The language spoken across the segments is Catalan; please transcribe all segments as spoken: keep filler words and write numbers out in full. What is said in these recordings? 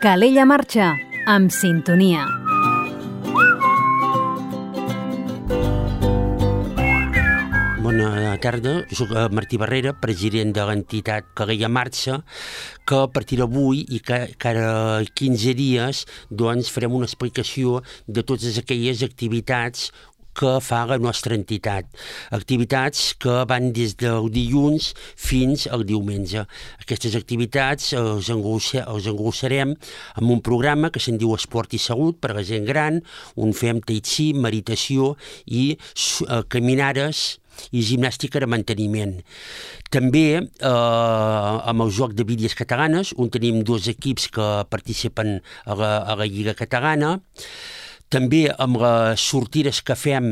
Calella marxa, amb sintonia. Bona tarda, jo soc Martí Barrera, president de l'entitat Calella Marxa, que a partir d'avui i cada quinze dies doncs, farem una explicació de totes aquelles activitats que fa la nostra entitat. Activitats que van des del dilluns fins al diumenge. Aquestes activitats els engrossarem amb un programa que se'n diu Esport i Salut per a la gent gran, on fem tai chi, meditació i caminades i gimnàstica de manteniment. També eh, amb el joc de bitlles catalanes, on tenim dos equips que participen a la, a la Lliga Catalana. També amb les sortides que fem,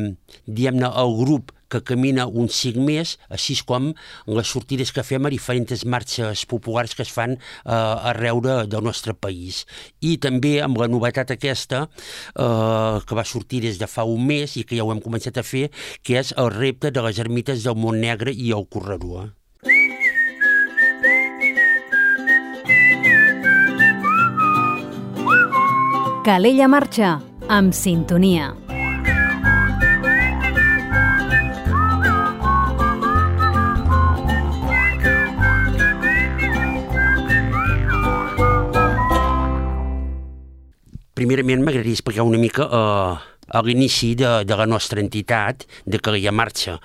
diguem-ne, el grup que camina un cinc més, així com les sortides que fem a diferents marxes populars que es fan eh, arreu de, del nostre país. I també amb la novetat aquesta, eh, que va sortir des de fa un mes i que ja ho hem començat a fer, que és el repte de les ermites del Montnegre i el Corredor. Calella marxa, amb sintonia. Primerament m'agradaria explicar una mica eh, a l'inici de, de la nostra entitat de Calella Marxa.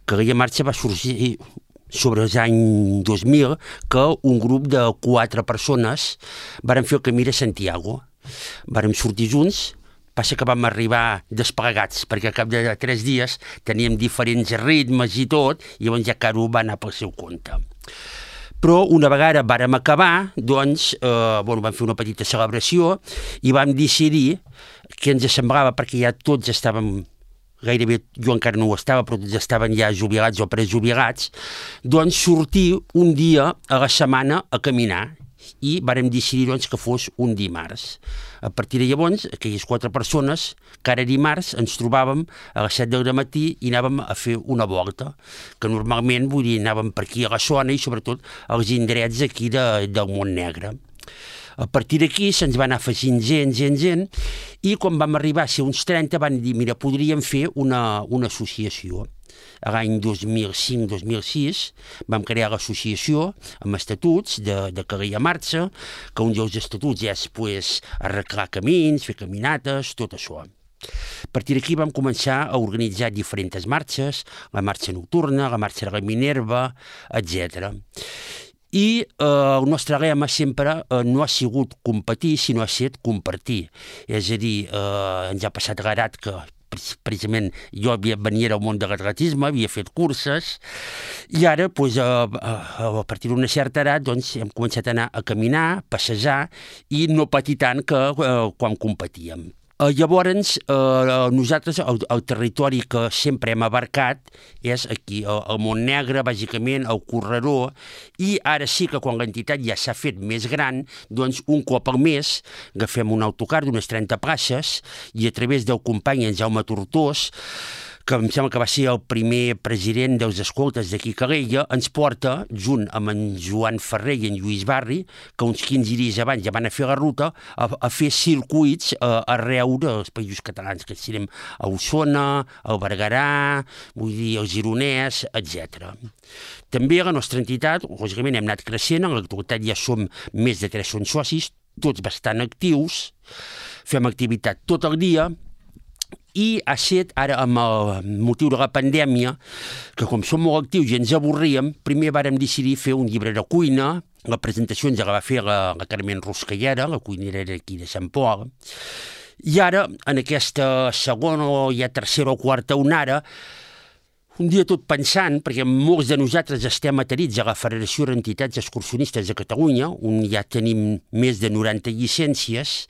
Calella Marxa va sorgir sobre els anys dos mil, que un grup de quatre persones varen fer el camí de Santiago. Vàrem sortir junts, passa que vam arribar desplegats, perquè al cap de tres dies teníem diferents ritmes i tot, i llavors ja cada un va anar pel seu compte. Però una vegada vàrem acabar, doncs, eh, bueno, vam fer una petita celebració i vam decidir que ens semblava, perquè ja tots estàvem, gairebé jo encara no ho estava, però tots estaven ja jubilats o prejubilats, doncs sortir un dia a la setmana a caminar. I vàrem decidir doncs, que fos un dimarts. A partir de llavors, aquelles quatre persones, cada dimarts ens trobàvem a les set del matí i anàvem a fer una volta, que normalment, vull dir, anàvem per aquí a la zona i sobretot als indrets aquí de, del Montnegre. A partir d'aquí se'ns va anar afegint gent, gent, gent, i quan vam arribar a ser uns trenta van dir, mira, podríem fer una, una associació. A l'any dos mil cinc dos mil sis vam crear l'associació amb estatuts de, de Calella Marxa, que un dels estatuts és pues, arreglar camins, fer caminates, tot això. A partir d'aquí vam començar a organitzar diferents marxes, la marxa nocturna, la marxa de la Minerva, etcètera. I eh, el nostre lema sempre eh, no ha sigut competir, sinó ha estat compartir. És a dir, eh, ens ha passat l'edat que precisament jo havia, venia del món de l'atletisme, havia fet curses, i ara, doncs, a, a, a partir d'una certa edat, doncs, hem començat a anar a caminar, passejar, i no patir tant que eh, quan competíem. Eh, llavors, eh, nosaltres, el, el territori que sempre hem abarcat és aquí, el, el Montnegre, bàsicament, el Corredor, i ara sí que quan l'entitat ja s'ha fet més gran, doncs un cop al mes agafem un autocar d'unes trenta places i a través del company en Jaume Tortós, que em sembla que va ser el primer president dels escoltes d'aquí Calella, ens porta, junt amb en Joan Ferrer i en Lluís Barri, que uns quinze dies abans ja van a fer la ruta, a, a fer circuits a, arreu dels països catalans, que serem a Osona, al Berguedà, vull dir, el Gironès, etcètera. També a la nostra entitat, lògicament, hem anat creixent, en l'actualitat ja som més de tres socis, tots bastant actius, fem activitat tot el dia, i ha estat, ara amb el motiu de la pandèmia, que com som molt actius i ens avorríem, primer vàrem decidir fer un llibre de cuina. La presentació ens la va fer la, la Carmen Ruscallera, la cuinera d'aquí de Sant Pol. I ara, en aquesta segona o ja tercera o quarta onada, un dia tot pensant, perquè molts de nosaltres estem adherits a la Federació d'Entitats Excursionistes de Catalunya, on ja tenim més de noranta llicències.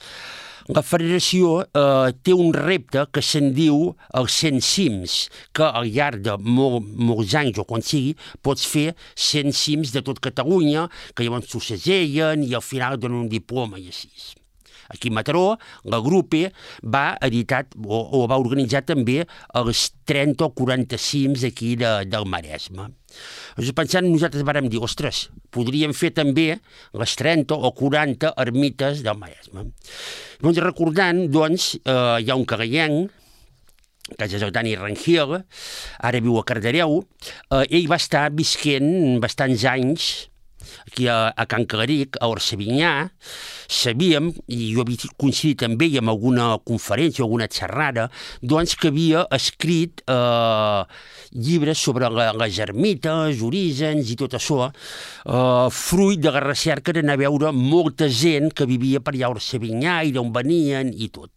La federació eh, té un repte que se'n diu els cent cims, que al llarg de molt, molts anys o quan sigui pots fer cent cims de tot Catalunya, que llavors t'ho segellen i al final et donen un diploma i així. aquí a Mataró, la Grupe va editar o, o va organitzar també els trenta o quaranta cims aquí de, del Maresme. Llavors, pensant, nosaltres vàrem dir, ostres, podríem fer també les trenta o quaranta ermites del Maresme. Llavors, recordant, doncs, eh, hi ha un cagallenc, que és el Dani Rangel, ara viu a Cardedeu. Eh, ell va estar visquent bastants anys aquí a, a Can Calaric, a Orsevinyà. Sabíem, i jo havia coincidit amb ell en alguna conferència, alguna xerrada, doncs que havia escrit eh, llibres sobre la, les ermites, orígens i tot això, eh, fruit de la recerca d'anar a veure molta gent que vivia per allà a Orsevinyà i d'on venien i tot.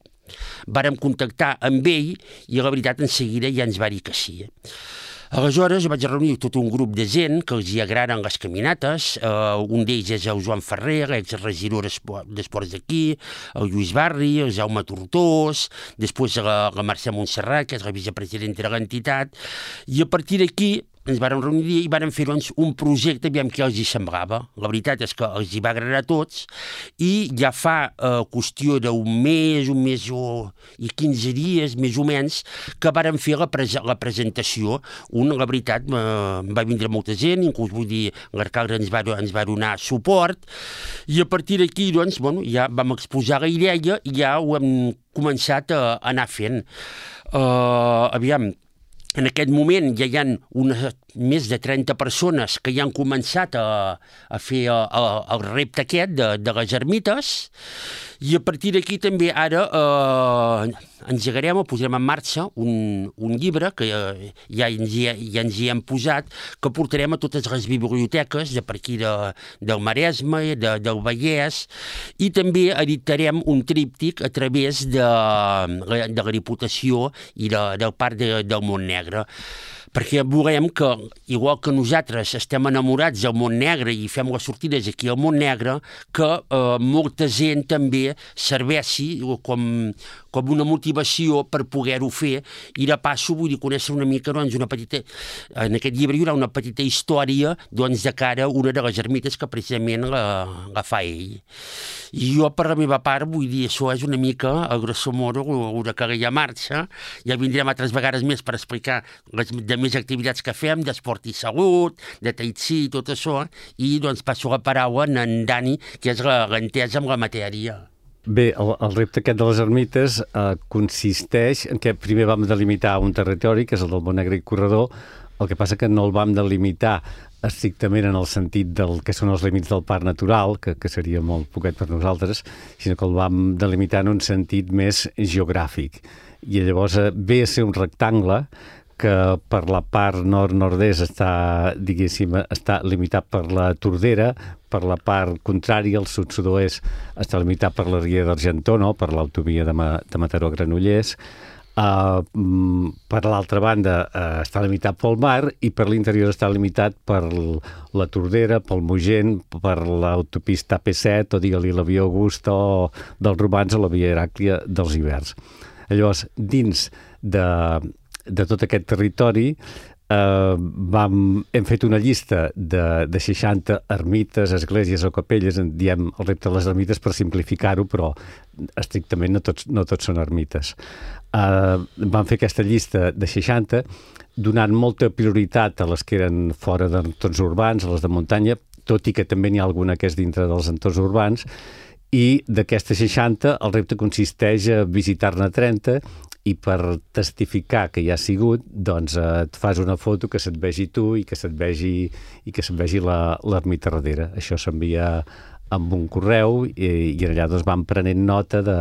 Vàrem contactar amb ell i la veritat en seguida ja ens va dir que sí. Aleshores vaig reunir tot un grup de gent que els hi agraden les caminates. Uh, un d'ells és el Joan Ferrer, exregidor d'Esports d'aquí, el Lluís Barri, el Jaume Tortós, després la, la Mercè Montserrat, que és la vicepresidenta de l'entitat, i a partir d'aquí ens vàrem reunir i vàrem fer doncs, un projecte, aviam què els hi semblava. La veritat és que els hi va agradar a tots i ja fa eh, qüestió d'un mes, un mes o, i quinze dies, més o menys, que vàrem fer la, pres la presentació. Un, la veritat, eh, va vindre molta gent, inclús vull dir, l'arcalde ens, va, ens va donar suport, i a partir d'aquí doncs, bueno, ja vam exposar la idea i ja ho hem començat a, a anar fent. Uh, aviam, en aquest moment ja hi ha unes, més de trenta persones que ja han començat a, a fer a, a, el repte aquest de, de les ermites, i a partir d'aquí també ara eh, engegarem o posarem en marxa un, un llibre que eh, ja, ens hi, ja ens hi hem posat, que portarem a totes les biblioteques de per aquí de, del Maresme, de, del Vallès, i també editarem un tríptic a través de, de la Diputació i de, del Parc de, del Montnegre, perquè volem que, igual que nosaltres estem enamorats del Montnegre i fem les sortides aquí al Montnegre, que eh, molta gent també serveixi com, com una motivació per poder-ho fer, i de passo vull dir conèixer una mica, doncs, una petita, en aquest llibre hi haurà una petita història doncs, de cara a una de les ermites que precisament la, la fa ell. I jo, per la meva part, vull dir, això és una mica, a grosso modo, una Calella Marxa. Ja vindrem altres vegades més per explicar les de més activitats que fem, d'esport i salut, de tai chi, tot això, i doncs passo la paraula a en Dani, que és l'entesa amb la matèria. Bé, el, el repte aquest de les ermites eh, consisteix en que primer vam delimitar un territori, que és el del Montnegre i Corredor. El que passa que no el vam delimitar estrictament en el sentit del que són els límits del parc natural, que, que seria molt poquet per nosaltres, sinó que el vam delimitar en un sentit més geogràfic. I llavors eh, ve a ser un rectangle que per la part nord-nord-est està, diguéssim, està limitat per la Tordera, per la part contrària, el sud-sud-oest, està limitat per la Ria d'Argentona, per l'autovia de, Ma de Mataró a Granollers. Uh, per l'altra banda uh, està limitat pel mar, i per l'interior està limitat per la Tordera, pel Mogent, per l'autopista A P set, o digue-li la via Augusta o dels Romans, o la via Heràclia dels Ibers. Llavors, dins de de tot aquest territori eh, vam, hem fet una llista de, de seixanta ermites, esglésies o capelles, en diem el repte de les ermites per simplificar-ho, però estrictament no tots, no tots són ermites. Eh, vam fer aquesta llista de seixanta, donant molta prioritat a les que eren fora d'entorns urbans, a les de muntanya, tot i que també n'hi ha alguna que és dintre dels entorns urbans, i d'aquestes seixanta el repte consisteix a visitar-ne trenta, i per testificar que hi ha sigut, doncs eh, et fas una foto que se't vegi tu i que se't vegi, i que se't vegi l'ermita darrere. Això s'envia amb un correu i, i allà doncs vam prenent nota de,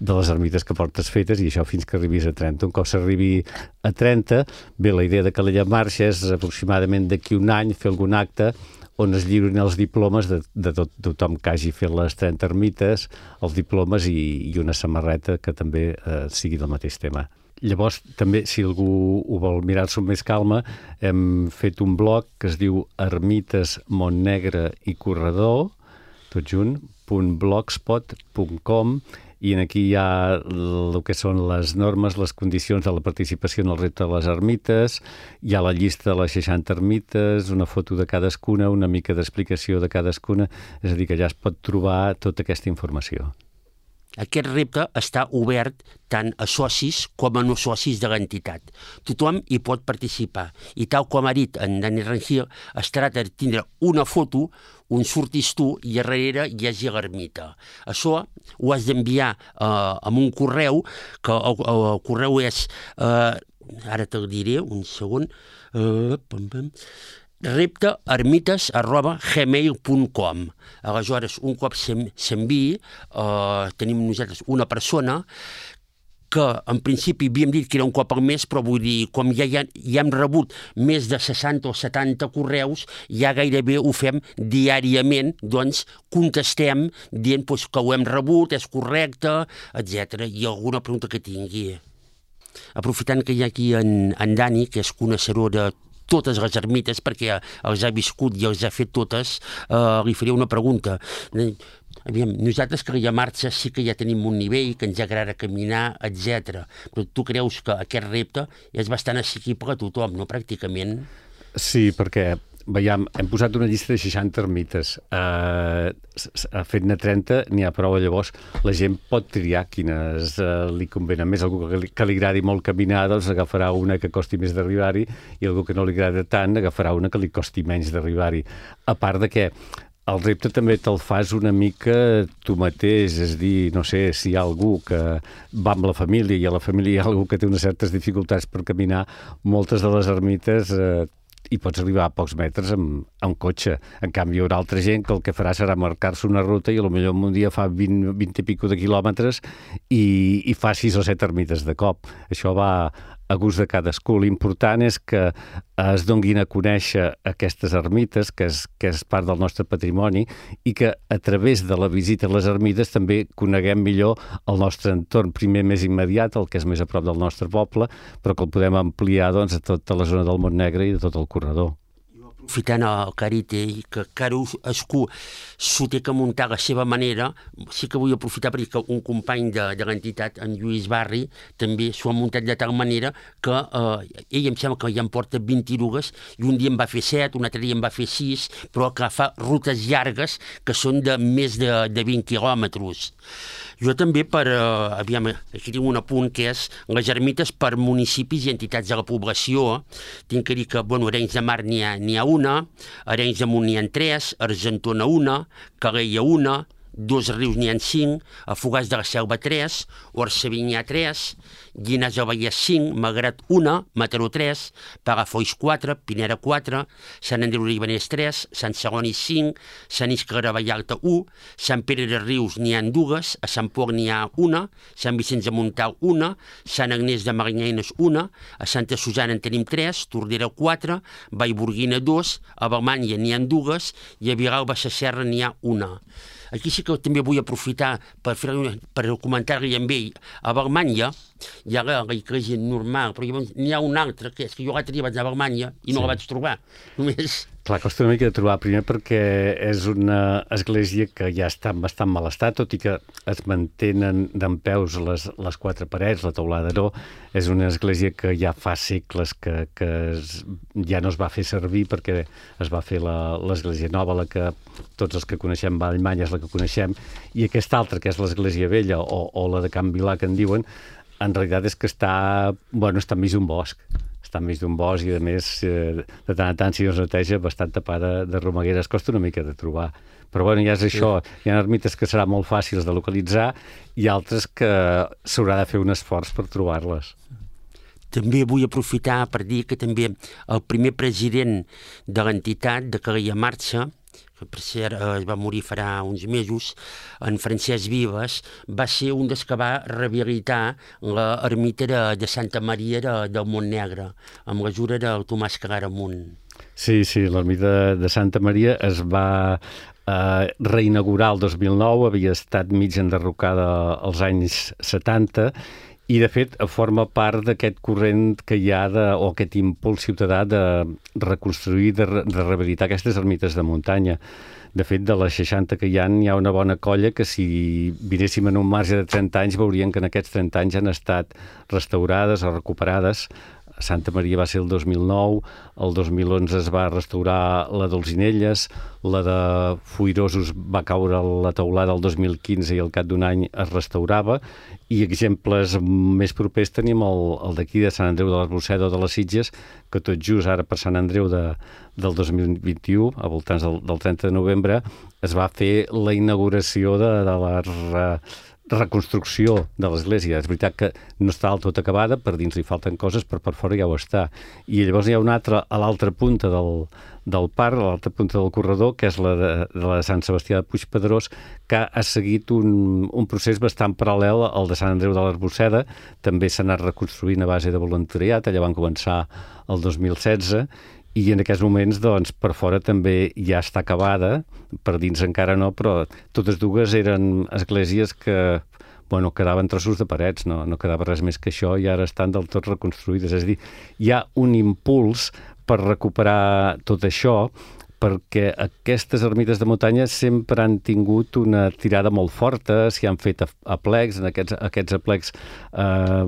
de les ermites que portes fetes, i això fins que arribis a trenta. Un cop s'arribi a trenta, bé, la idea de Calella Marxa és aproximadament d'aquí un any fer algun acte on es lliurin els diplomes de, de tot, tothom que hagi fet les trenta ermites, els diplomes i, i una samarreta que també eh, sigui del mateix tema. Llavors, també, si algú ho vol mirar-s'ho amb més calma, hem fet un blog que es diu Ermites Montnegre i Corredor, tot junt, .blogspot punt com, i aquí hi ha el que són les normes, les condicions de la participació en el repte de les ermites, hi ha la llista de les seixanta ermites, una foto de cadascuna, una mica d'explicació de cadascuna, és a dir, que ja es pot trobar tota aquesta informació. aquest repte està obert tant a socis com a no socis de l'entitat. Tothom hi pot participar i tal com ha dit en Dani Rangel, es tracta de tindre una foto on surtis tu i a darrere hi hagi l'ermita. Això ho has d'enviar eh, amb un correu, que el, el correu és, eh, ara te'l diré, un segon, eh, pam, pam, repte ermites arroba gmail punt com. Aleshores, un cop s'enviï, eh, tenim nosaltres una persona que en principi havíem dit que era un cop al mes, però vull dir, com ja, ja, ja hem rebut més de seixanta o setanta correus, ja gairebé ho fem diàriament, doncs contestem dient doncs, que ho hem rebut, és correcte, etcètera. I alguna pregunta que tingui. Aprofitant que hi ha aquí en, en Dani, que és coneixedor de totes les ermites, perquè els ha viscut i els ha fet totes, eh, li faria una pregunta. Aviam, nosaltres que a marxa sí que ja tenim un nivell, que ens agrada caminar, etcètera. Però tu creus que aquest repte és bastant assequible a tothom, no? Pràcticament. Sí, perquè veiem, hem posat una llista de seixanta ermites. Uh, Fet-ne trenta, n'hi ha prou. Llavors, la gent pot triar quines uh, li convenen més. Algú que li, que li agradi molt caminar, doncs agafarà una que costi més d'arribar-hi, i algú que no li agrada tant, agafarà una que li costi menys d'arribar-hi. A part de que el repte també te'l fas una mica tu mateix, és dir, no sé, si hi ha algú que va amb la família i a la família hi ha algú que té unes certes dificultats per caminar, moltes de les ermites eh, i pots arribar a pocs metres amb, amb cotxe. En canvi, hi haurà altra gent que el que farà serà marcar-se una ruta i potser un dia fa vint, vint i pico de quilòmetres i, i fa sis o set ermites de cop. Això va a gust de cadascú. L'important és que es donguin a conèixer aquestes ermites, que és, que és part del nostre patrimoni, i que a través de la visita a les ermites també coneguem millor el nostre entorn, primer més immediat, el que és més a prop del nostre poble, però que el podem ampliar doncs, a tota la zona del Montnegre i de tot el corredor. Aprofitant el Carite i que cadascú s'ho té que muntar a la seva manera, sí que vull aprofitar per dir que un company de, de l'entitat, en Lluís Barri, també s'ho ha muntat de tal manera que eh, ell em sembla que ja em porta vint-i-dues i un dia em va fer set, un altre dia em va fer sis, però que fa rutes llargues que són de més de, de vint quilòmetres. Jo també per, eh, aviam, aquí tinc un apunt que és les ermites per municipis i entitats de la població. Tinc que dir que, bueno, Arenys de Mar n'hi ha, n'hi ha una, Arenys de Munt n'hi ha tres, Argentona una, Calella una, Dos Rius n'hi ha cinc, a Fogars de la Selva tres, Orxaví n'hi ha tres, Llinars del Vallès cinc, Malgrat una, Mataró tres, Palafolls quatre, Pineda quatre, Sant Andreu de Llavaneres tres, Sant Celoni cinc, Sant Iscle de Vallalta u, Sant Pere de Rius n'hi ha dues, a Sant Pol n'hi ha una, Sant Vicenç de Montalt una, Sant Agnès de Maranyanes una, a Santa Susana en tenim tres, Tordera quatre, Vallburguina dos, a Balmanya n'hi ha dues i a Vilalba Sasserra n'hi ha una. Aquí sí que també vull aprofitar per, fer, per comentar-li amb ell. A Balmanya hi ha l'església normal, però n'hi ha una altra, que és que jo l'altre dia vaig a Balmanya i no sí. la vaig trobar. Només... Clar, costa una mica de trobar, primer perquè és una església que ja està en bastant mal estat, tot i que es mantenen dempeus les, les quatre parets, la teulada no. És una església que ja fa segles que, que es, ja no es va fer servir perquè es va fer l'església nova, la que tots els que coneixem Vallmanya és la que coneixem, i aquesta altra, que és l'església vella o, o la de Can Vilà, que en diuen, en realitat és que està, bueno, està enmig d'un bosc. Està enmig d'un bosc i, a més, eh, de tant en tant, si no es neteja, bastant tapada de romagueres. Costa una mica de trobar. Però, bueno, ja és això. Hi ha ermites que seran molt fàcils de localitzar i altres que s'haurà de fer un esforç per trobar-les. També vull aprofitar per dir que també el primer president de l'entitat de Calella Marxa, que per cert es va morir farà uns mesos, en Francesc Vives, va ser un dels que va rehabilitar l'ermita de, de Santa Maria de, del Montnegre, amb l'ajuda del Tomàs Claramunt. Sí, sí, l'ermita de Santa Maria es va eh, reinaugurar el dos mil nou, havia estat mig enderrocada als anys setanta, i, de fet, forma part d'aquest corrent que hi ha, de, o aquest impuls ciutadà de reconstruir, de, de rehabilitar aquestes ermites de muntanya. De fet, de les seixanta que hi ha, hi ha una bona colla que, si vinéssim en un marge de trenta anys, veurien que en aquests trenta anys han estat restaurades o recuperades Santa Maria va ser el dos mil nou, el dos mil onze es va restaurar la d'Olzinelles, la de Foirosos va caure la teulada el dos mil quinze i al cap d'un any es restaurava, i exemples més propers tenim el, el d'aquí de Sant Andreu de l'Arboçeda o de les Sitges, que tot just ara per Sant Andreu de, del dos mil vint-i-u, a voltants del, del trenta de novembre, es va fer la inauguració de, de la re, reconstrucció de l'església. És veritat que no està del tot acabada, per dins li falten coses, però per fora ja ho està. I llavors hi ha una altra a l'altra punta del, del parc, a l'altra punta del corredor, que és la de, de la de Sant Sebastià de Puigpedrós, que ha seguit un, un procés bastant paral·lel al de Sant Andreu de l'Arboçeda. També s'ha anat reconstruint a base de voluntariat, allà van començar el dos mil setze, i en aquests moments, doncs, per fora també ja està acabada, per dins encara no, però totes dues eren esglésies que, bueno, quedaven trossos de parets, no, no quedava res més que això, i ara estan del tot reconstruïdes. És a dir, hi ha un impuls per recuperar tot això, perquè aquestes ermites de muntanya sempre han tingut una tirada molt forta, s'hi han fet aplecs, en aquests, aquests aplecs eh,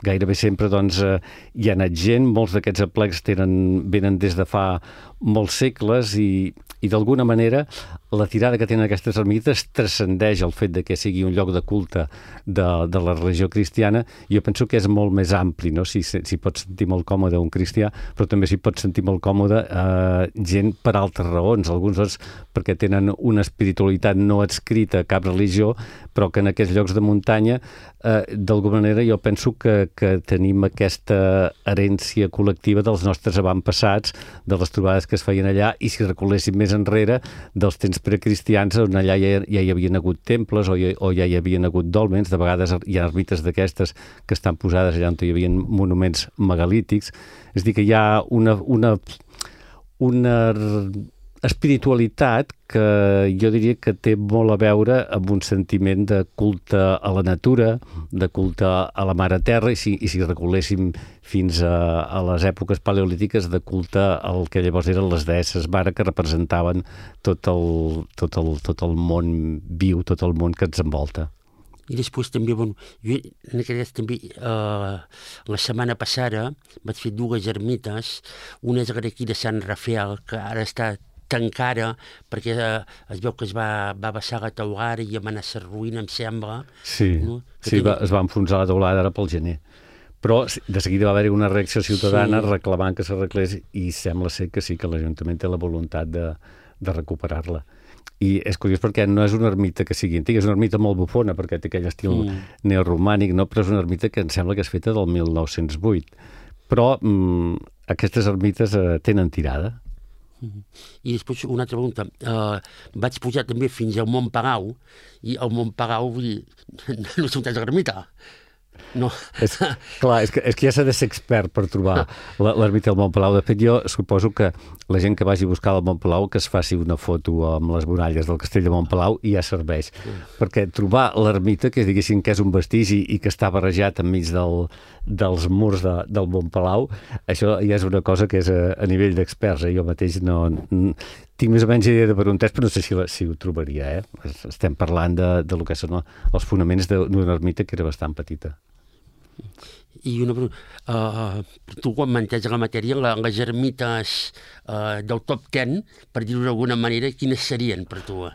gairebé sempre doncs, eh, hi ha anat gent, molts d'aquests aplecs tenen, venen des de fa molts segles i, i d'alguna manera la tirada que tenen aquestes ermites transcendeix el fet de que sigui un lloc de culte de, de la religió cristiana. Jo penso que és molt més ampli, no? Si s'hi si pot sentir molt còmode un cristià, però també s'hi pot sentir molt còmode eh, gent per altres raons, alguns doncs, perquè tenen una espiritualitat no adscrita a cap religió, però que en aquests llocs de muntanya eh, d'alguna manera jo penso que, que tenim aquesta herència col·lectiva dels nostres avantpassats, de les trobades que es feien allà, i si recoléssim més enrere dels temps precristians on allà ja, ja hi havien hagut temples o, ja, o ja hi havien hagut dòlmens. De vegades hi ha ermites d'aquestes que estan posades allà on hi havia monuments megalítics. És a dir, que hi ha una, una, una espiritualitat que jo diria que té molt a veure amb un sentiment de culte a la natura, de culte a la mare terra, i si, i si recoléssim fins a, a les èpoques paleolítiques, de culte al que llavors eren les deesses mare, que representaven tot el, tot el, tot el món viu, tot el món que ens envolta. I després també, bueno, jo en aquest també, eh, la setmana passada vaig fer dues ermites, una és aquí de Sant Rafael, que ara està tancada, perquè eh, es veu que es va, va vessar la teulada i va anar a ser ruïna, em sembla. Sí, no? sí tenia... va, es va enfonsar la teulada ara pel gener. Però de seguida va haver-hi una reacció ciutadana sí. reclamant que s'arreglés, i sembla ser que sí, que l'Ajuntament té la voluntat de, de recuperar-la. I és curiós perquè no és una ermita que sigui antiga, és una ermita molt bufona, perquè té aquell estil mm. neoromànic, no? Però és una ermita que em sembla que és feta del mil nou-cents vuit. Però mm, aquestes ermites eh, tenen tirada. I després una altra pregunta, uh, vaig pujar també fins al Montpalau, i al Montpalau no sé on és l'ermita. No. És, clar, és que, és que ja s'ha de ser expert per trobar l'ermita del Montpalau. De fet, jo suposo que la gent que vagi a buscar el Montpalau que es faci una foto amb les muralles del castell de Montpalau i ja serveix. Mm. Perquè trobar l'ermita, que diguéssim que és un vestigi i que està barrejat enmig del, dels murs de, del Montpalau, això ja és una cosa que és a, a nivell d'experts. Eh? Jo mateix no... Tinc més o menys idea de per on és, però no sé si, la, si ho trobaria. Eh? Estem parlant de, de lo que són els fonaments d'una ermita que era bastant petita. I una pregunta, uh, tu quan mantens la matèria, la, les ermites uh, del top ten, per dir-ho d'alguna manera, quines serien per tu?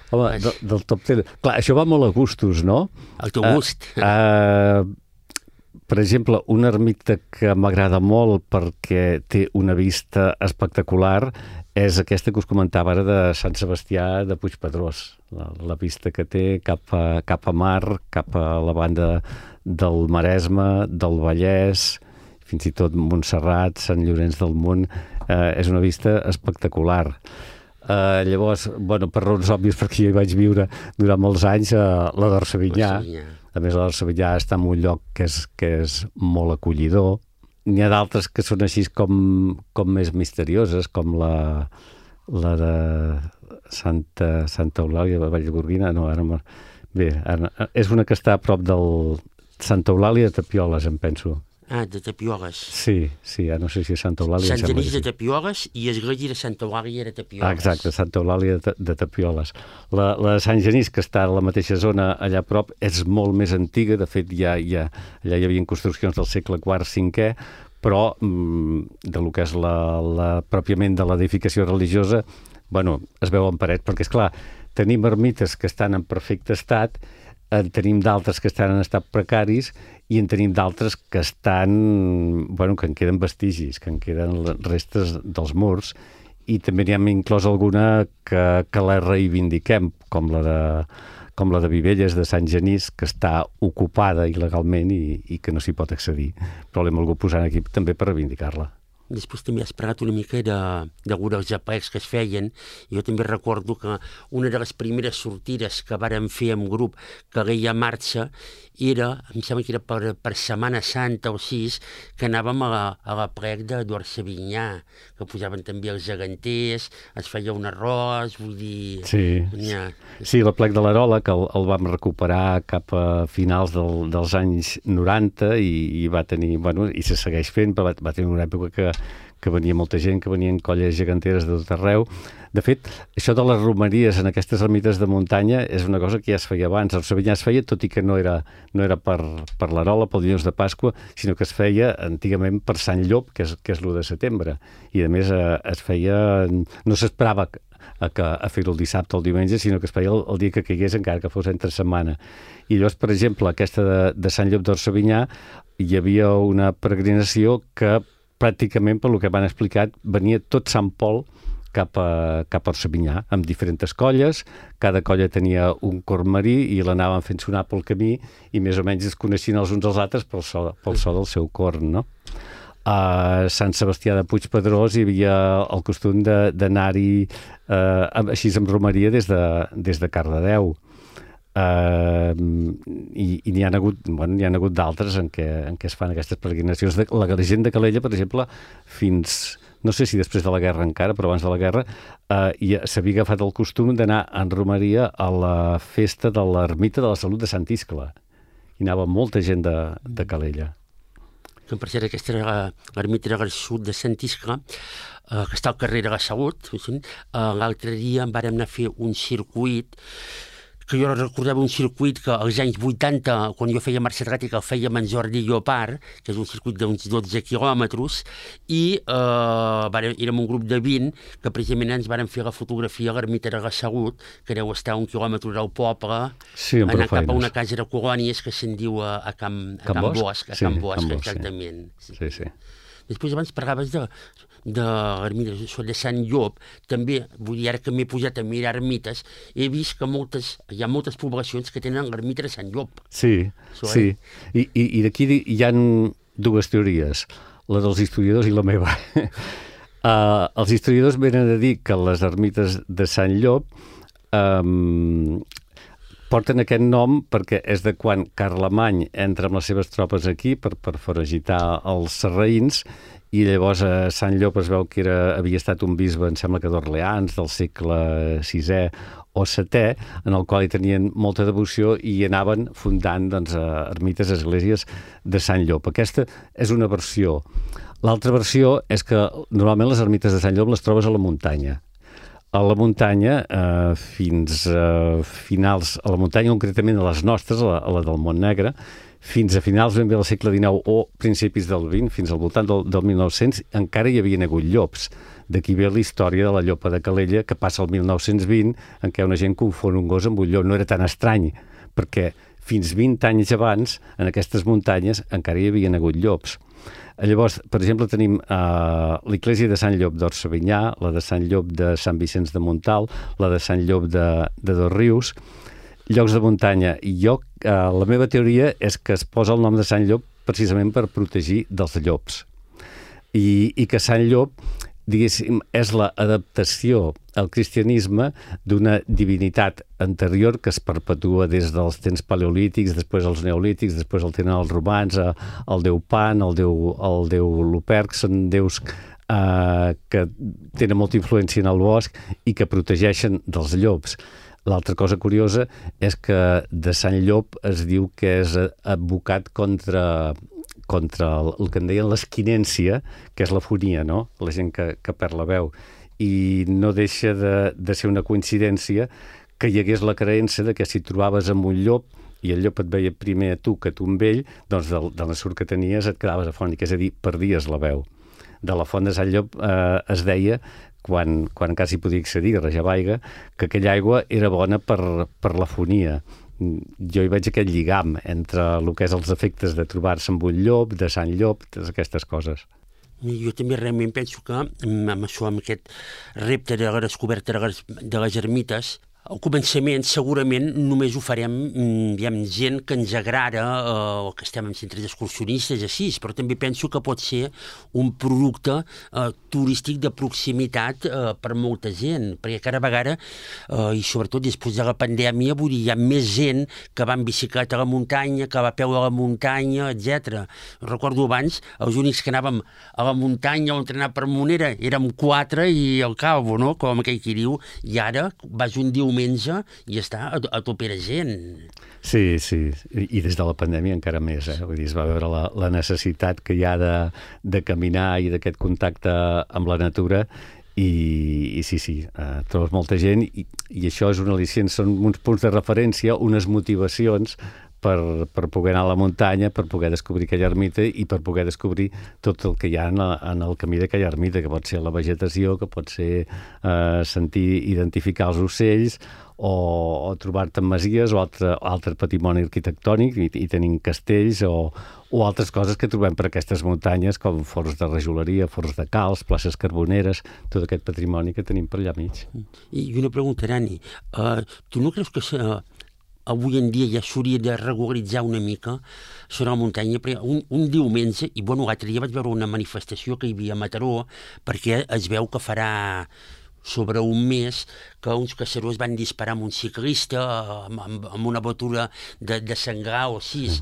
Home, de, del top ten... Clar, això va molt a gustos, no? Al teu gust. Uh, uh, per exemple, una ermita que m'agrada molt perquè té una vista espectacular és aquesta que us comentava ara de Sant Sebastià de Puigpedrós. La, la vista que té cap a, cap a mar, cap a la banda del Maresme, del Vallès, fins i tot Montserrat, Sant Llorenç del Munt, eh, és una vista espectacular. Eh, llavors, bueno, per raons òbvies, perquè jo hi vaig viure durant molts anys, eh, la d'Orsavinyà. A més, la d'Orsavinyà està en un lloc que és, que és molt acollidor. N'hi ha d'altres que són així com, com més misterioses, com la, la de Santa, Santa Eulàlia de Vallgorguina. No, ara... Bé, ara, és una que està a prop del Santa Eulàlia de Tapioles, em penso. Ah, de Tapioles. Sí, sí, ja no sé si és Santa Eulàlia. Sant Genís de Tapioles i església de Santa Eulàlia de Tapioles. Ah, exacte, Santa Eulàlia de, de Tapioles. La, la de Sant Genís, que està a la mateixa zona allà a prop, és molt més antiga. De fet, ja, ja, allà hi havia construccions del segle quart, cinquè, però mm, de lo que és la, la, pròpiament de l'edificació religiosa, bueno, es veuen parets, perquè, és clar, tenim ermites que estan en perfecte estat, en tenim d'altres que estan en estat precaris i en tenim d'altres que estan, bueno, que en queden vestigis, que en queden restes dels murs, i també n'hi hem inclòs alguna que, que la reivindiquem, com la de com la de Vivelles de Sant Genís, que està ocupada il·legalment i, i que no s'hi pot accedir. Però l'hem volgut posar aquí també per reivindicar-la. Després també has parlat una mica de, de els aplecs que es feien. Jo també recordo que una de les primeres sortides que vàrem fer en grup, que Calella Marxa, era, em sembla que era per, per Setmana Santa o sis, que anàvem a, a l'aplec d'Orsavinyà, que posaven també els geganters, es feia un arròs, vull dir... Sí, ja. Sí, l'aplec de l'Arola, que el, el vam recuperar cap a finals del, dels anys noranta i, i va tenir, bueno, i se segueix fent, però va, va tenir una època que que venia molta gent, que venien colles geganteres de tot arreu. De fet, això de les romeries en aquestes ermites de muntanya és una cosa que ja es feia abans. El Orsavinyà es feia, tot i que no era, no era per, per l'Arola, pel dilluns de Pasqua, sinó que es feia antigament per Sant Llop, que és, que és l'u de setembre. I, a més, eh, es feia... No s'esperava a, que, a fer-ho el dissabte o el diumenge, sinó que es feia el, el dia que caigués, encara que fos entre setmana. I llavors, per exemple, aquesta de, de Sant Llop d'Orsavinyà, hi havia una peregrinació que pràcticament, per lo que m'han explicat, venia tot Sant Pol cap a, cap a Orsavinyà, amb diferents colles. Cada colla tenia un cor marí i l'anaven fent sonar pel camí i més o menys es coneixien els uns als altres pel so, pel so del seu corn, no? A Sant Sebastià de Puigpedrós hi havia el costum d'anar-hi eh, així amb romeria des de, des de Cardedeu. Uh, i, i n'hi ha hagut, bueno, n'hi ha hagut d'altres en què, en què es fan aquestes peregrinacions. De, la gent de Calella, per exemple, fins, no sé si després de la guerra encara, però abans de la guerra, uh, s'havia agafat el costum d'anar en romeria a la festa de l'Ermita de la Salut de Sant Iscle. Hi anava molta gent de, de Calella. Per cert, aquesta era l'Ermita de la Salut de Sant Iscle, uh, que està al carrer de la Salut. Uh, L'altre dia en vàrem anar a fer un circuit que jo recordava un circuit que als anys vuitanta, quan jo feia marxa atlètica, el feia amb en Jordi Llopart, que és un circuit d'uns dotze quilòmetres, i eh, érem un grup de vint que precisament ens vàrem fer la fotografia a l'Ermita de la Salut, que deu estar a un quilòmetre del poble, sí, anar cap a una casa de colònies que se'n diu a, a Can, a Can, Can Bosch, a sí, Can Bosch, Can Bosch, exactament. Sí, sí. sí. Després abans parlaves de, de l'ermita de Sant Llop, també, vull dir, ara que m'he posat a mirar ermites, he vist que moltes, hi ha moltes poblacions que tenen l'ermita de Sant Llop. Sí, Això, sí. Eh? I, i, i d'aquí hi ha dues teories, la dels historiadors i la meva. uh, els historiadors venen a dir que les ermites de Sant Llop um, porten aquest nom perquè és de quan Carlemany entra amb les seves tropes aquí per, per foragitar els sarraïns i llavors a Sant Llop es veu que era, havia estat un bisbe, em sembla que d'Orleans, del segle sisè o setè, en el qual hi tenien molta devoció i anaven fundant doncs, ermites, esglésies de Sant Llop. Aquesta és una versió. L'altra versió és que normalment les ermites de Sant Llop les trobes a la muntanya. A la muntanya, eh, fins a finals, a la muntanya concretament a les nostres, a la, a la del Montnegre, fins a finals ben bé del segle dinou o principis del vint, fins al voltant del, del mil nou-cents, encara hi havien hagut llops. D'aquí ve la història de la llopa de Calella, que passa al mil nou-cents vint, en què una gent confon un gos amb un llop. No era tan estrany, perquè fins vint anys abans, en aquestes muntanyes, encara hi havien hagut llops. Llavors, per exemple, tenim uh, l'església de Sant Llop d'Orsavinyà, la de Sant Llop de Sant Vicenç de Montalt, la de Sant Llop de, de Dosrius, llocs de muntanya. I jo, uh, la meva teoria és que es posa el nom de Sant Llop precisament per protegir dels llops. I, i que Sant Llop, diguéssim, és l'adaptació al cristianisme d'una divinitat anterior que es perpetua des dels temps paleolítics, després els neolítics, després el tenen els romans, el déu Pan, el déu, el déu Luperc, són déus eh, que tenen molta influència en el bosc i que protegeixen dels llops. L'altra cosa curiosa és que de Sant Llop es diu que és advocat contra... contra el, el que en deien l'esquinència, que és la fonia, no? La gent que, que perd la veu. I no deixa de, de ser una coincidència que hi hagués la creença de que si trobaves amb un llop i el llop et veia primer a tu que tu amb ell, doncs del, del surt que tenies et quedaves afònic, és a dir, perdies la veu. De la font de Sant Llop eh, es deia, quan, quan encara s'hi podia accedir, a Rajavaiga, que aquella aigua era bona per, per l'afonia. Jo hi veig aquest lligam entre el que és els efectes de trobar-se amb un llop, de Sant Llop, totes aquestes coses. Jo també realment penso que amb això, amb aquest repte de la descoberta de les, de les ermites, al començament segurament només ho farem diguem, gent que ens agrada eh, o que estem en centres excursionistes així, però també penso que pot ser un producte eh, turístic de proximitat eh, per molta gent, perquè cada vegada eh, i sobretot després de la pandèmia, vull dir, hi ha més gent que va en bicicleta a la muntanya, que va a peu a la muntanya, etcètera. Recordo abans, els únics que anàvem a la muntanya o entrenar per Monera érem quatre i al cabo, no? Com aquell qui diu, i ara vas un diumenge i està a, a tope de gent. Sí, sí, i des de la pandèmia encara més, eh? Vull dir, es va veure la, la necessitat que hi ha de, de caminar i d'aquest contacte amb la natura i, i sí, sí, eh, trobes molta gent i, i això és un al·licient, són uns punts de referència, unes motivacions per, per poder anar a la muntanya, per poder descobrir aquella ermita i per poder descobrir tot el que hi ha en, en el camí d'aquella ermita, que pot ser la vegetació, que pot ser eh, sentir, identificar els ocells, o, o trobar-te en masies o altre, altre patrimoni arquitectònic, i, i tenim castells o, o altres coses que trobem per aquestes muntanyes, com forns de rajoleria, forns de calç, places carboneres, tot aquest patrimoni que tenim per allà mig. I una pregunta, Rani, uh, tu no creus que uh, avui en dia ja s'hauria de regularitzar una mica sobre la muntanya? Perquè un, un diumenge, i bueno, l'altre dia vaig veure una manifestació que hi havia a Mataró, perquè es veu que farà sobre un mes que uns caçadors van disparar amb un ciclista amb, amb, amb una botura de, de senglar o sis.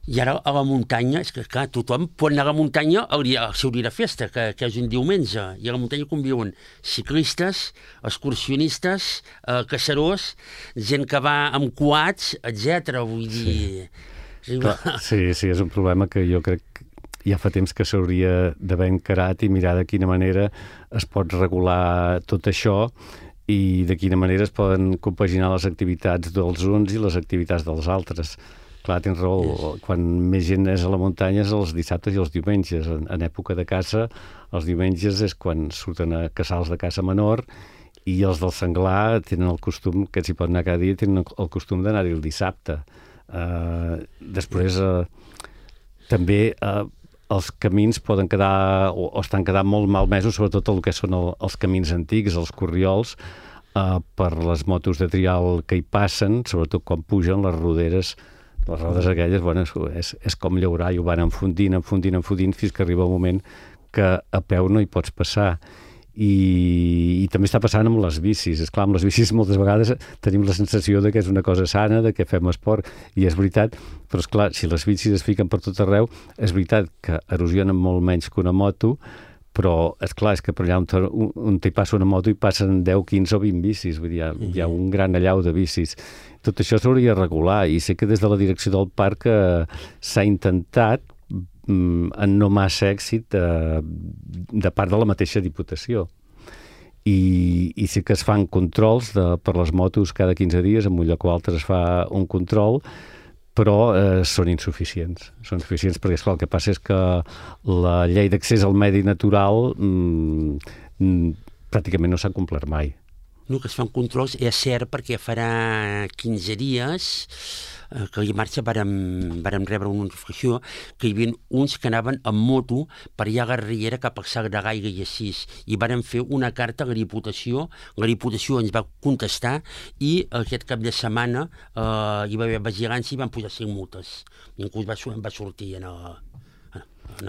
I ara a la muntanya, és que clar, tothom pot anar a la muntanya al, dia, al seu dia de festa, que, que és un diumenge, i a la muntanya conviuen ciclistes, excursionistes, eh, caçadors, gent que va amb quads, etcètera. Vull dir... Sí. Clar, sí, sí, és un problema que jo crec que ja fa temps que s'hauria d'haver encarat i mirar de quina manera es pot regular tot això i de quina manera es poden compaginar les activitats dels uns i les activitats dels altres. Clar, tens raó, yes. Quan més gent és a la muntanya és els dissabtes i els diumenges. En, en època de caça, els diumenges és quan surten a casals de caça menor i els del senglar tenen el costum, que s'hi pot anar cada dia, tenen el costum d'anar-hi el dissabte. Uh, després, uh, també... Uh, els camins poden quedar o, o estan quedant molt malmesos, sobretot el que són el, els camins antics, els corriols, eh, per les motos de trial que hi passen, sobretot quan pugen les roderes, les rodes aquelles, bueno, és, és com llaurar, i ho van enfundint, enfundint, enfundint, fins que arriba un moment que a peu no hi pots passar. I, i també està passant amb les bicis. Esclar, amb les bicis moltes vegades tenim la sensació de que és una cosa sana, de que fem esport, i és veritat, però esclar, si les bicis es fiquen per tot arreu, és veritat que erosionen molt menys que una moto, però esclar, és que per allà on, on hi passa una moto hi passen deu, quinze o vint bicis, vull dir, hi ha, hi ha un gran allau de bicis. Tot això s'hauria de regular, i sé que des de la direcció del parc eh, s'ha intentat en no massa èxit eh, de part de la mateixa Diputació. I, i sí que es fan controls de, per les motos cada quinze dies, en un lloc o altre es fa un control, però eh, són insuficients. Són insuficients perquè, esclar, el que passa és que la llei d'accés al medi natural mm, mm, pràcticament no s'ha complert mai. No, que es fan controls, és cert, perquè farà quinze dies que a marxa vàrem, vàrem rebre una notificació que hi havia uns que anaven amb moto per allà a la Riera cap al Sac de Gaiga i així, i vàrem fer una carta a la Diputació, la Diputació ens va contestar i aquest cap de setmana eh, hi va haver vigilància i van posar cinc multes. Ningú va, va sortir en el...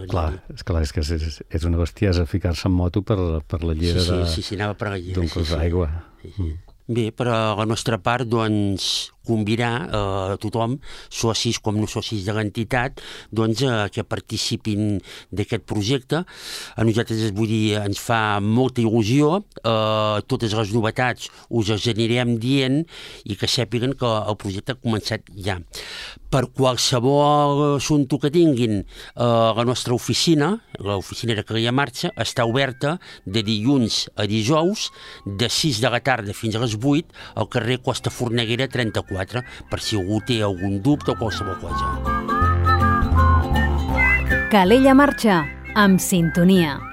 Clar, és, clar, és que és, és una bestiesa ficar-se en moto per, per la llera sí, sí, de, sí, sí, anava per la llera, d'un cos sí, d'aigua. Sí, sí. Mm. Bé, per a la nostra part, doncs, convidar a eh, tothom, socis com no socis de l'entitat, doncs, eh, que participin d'aquest projecte. A nosaltres, vull dir, ens fa molta il·lusió. Eh, totes les novetats us les anirem dient i que sàpiguen que el projecte ha començat ja. Per qualsevol assumpte que tinguin, eh, la nostra oficina, l'oficina de Calella Marxa, està oberta de dilluns a dijous, de sis de la tarda fins a les vuit, al carrer Costa Forneguera trenta-quatre. quatre per si algú té algun dubte o qualsevol cosa. Calella Marxa, amb sintonia.